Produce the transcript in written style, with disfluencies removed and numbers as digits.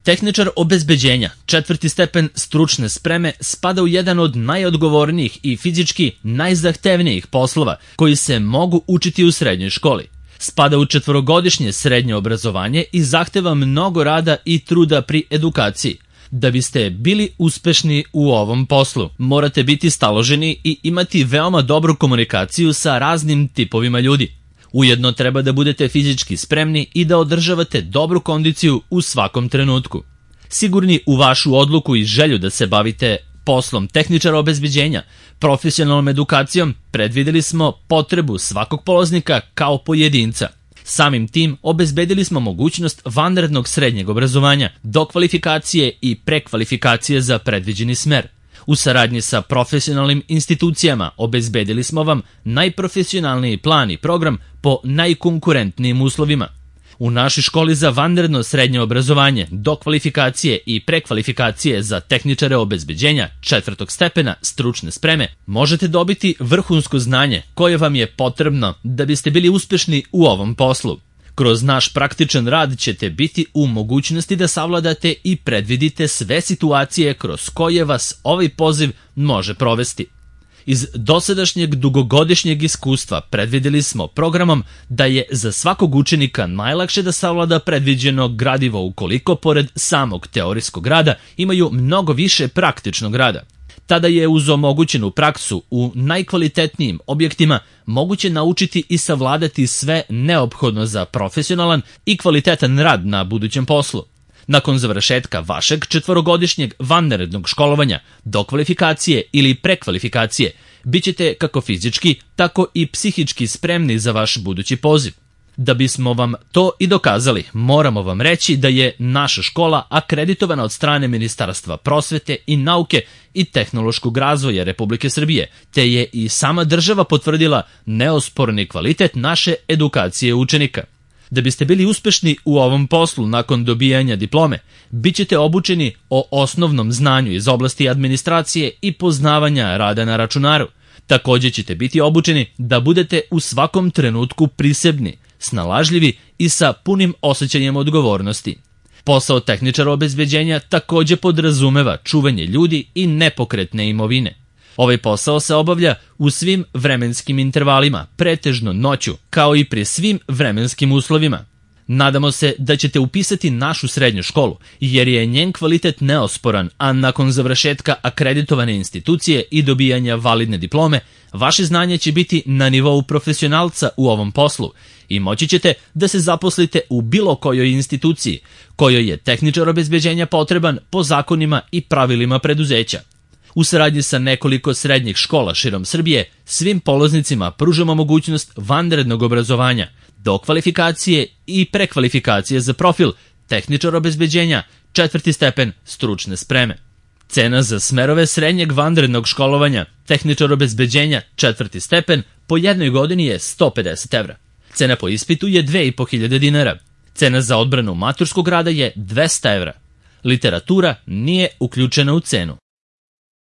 Tehničar obezbeđenja, 4. stepen stručne spreme, spada u jedan od najodgovornijih i fizički najzahtevnijih poslova koji se mogu učiti u srednjoj školi. Spada u 4-godišnje srednje obrazovanje i zahteva mnogo rada i truda pri edukaciji. Da biste bili uspešni u ovom poslu, morate biti staloženi i imati veoma dobru komunikaciju sa raznim tipovima ljudi. Ujedno treba da budete fizički spremni i da održavate dobru kondiciju u svakom trenutku. Sigurni u vašu odluku i želju da se bavite poslom tehničara obezbeđenja, profesionalnom edukacijom, predvideli smo potrebu svakog polaznika kao pojedinca. Samim tim obezbedili smo mogućnost vanrednog srednjeg obrazovanja, dokvalifikacije i prekvalifikacije za predviđeni smer. U saradnji sa profesionalnim institucijama obezbedili smo vam najprofesionalniji plan i program po najkonkurentnijim uslovima. U našoj školi za vanredno srednje obrazovanje, dokvalifikacije i prekvalifikacije za tehničare obezbeđenja 4. stepena stručne spreme možete dobiti vrhunsko znanje koje vam je potrebno da biste bili uspešni u ovom poslu. Kroz naš praktičan rad ćete biti u mogućnosti da savladate i predvidite sve situacije kroz koje vas ovaj poziv može provesti. Iz dosadašnjeg dugogodišnjeg iskustva predvideli smo programom da je za svakog učenika najlakše da savlada predviđeno gradivo ukoliko pored samog teorijskog rada imaju mnogo više praktičnog rada. Tada je uz omogućenu praksu u najkvalitetnijim objektima moguće naučiti i savladati sve neophodno za profesionalan i kvalitetan rad na budućem poslu. Nakon završetka vašeg 4-godišnjeg vanrednog školovanja, dokvalifikacije ili prekvalifikacije, bit ćete kako fizički, tako i psihički spremni za vaš budući poziv. Da bismo vam to i dokazali, moramo vam reći da je naša škola akreditovana od strane Ministarstva prosvete i nauke i tehnološkog razvoja Republike Srbije, te je i sama država potvrdila neosporni kvalitet naše edukacije učenika. Da biste bili uspešni u ovom poslu nakon dobijanja diplome, bit ćete obučeni o osnovnom znanju iz oblasti administracije i poznavanja rada na računaru. Također ćete biti obučeni da budete u svakom trenutku prisebni, snalažljivi i sa punim osjećanjem odgovornosti. Posao tehničara obezbeđenja također podrazumeva čuvanje ljudi i nepokretne imovine. Ovaj posao se obavlja u svim vremenskim intervalima, pretežno noću, kao i pri svim vremenskim uslovima. Nadamo se da ćete upisati našu srednju školu, jer je njen kvalitet neosporan, a nakon završetka akreditovane institucije i dobijanja validne diplome, vaše znanje će biti na nivou profesionalca u ovom poslu i moći ćete da se zaposlite u bilo kojoj instituciji, kojoj je tehničar obezbeđenja potreban po zakonima i pravilima preduzeća. U saradnji sa nekoliko srednjih škola širom Srbije, svim polaznicima pružamo mogućnost vanrednog obrazovanja, dokvalifikacije i prekvalifikacije za profil tehničar obezbeđenja 4. stepen stručne spreme. Cena za smerove srednjeg vanrednog školovanja tehničar obezbeđenja 4. stepen po jednoj godini je 150 evra. Cena po ispitu je 2500 dinara. Cena za odbranu maturskog rada je 200 evra. Literatura nije uključena u cenu.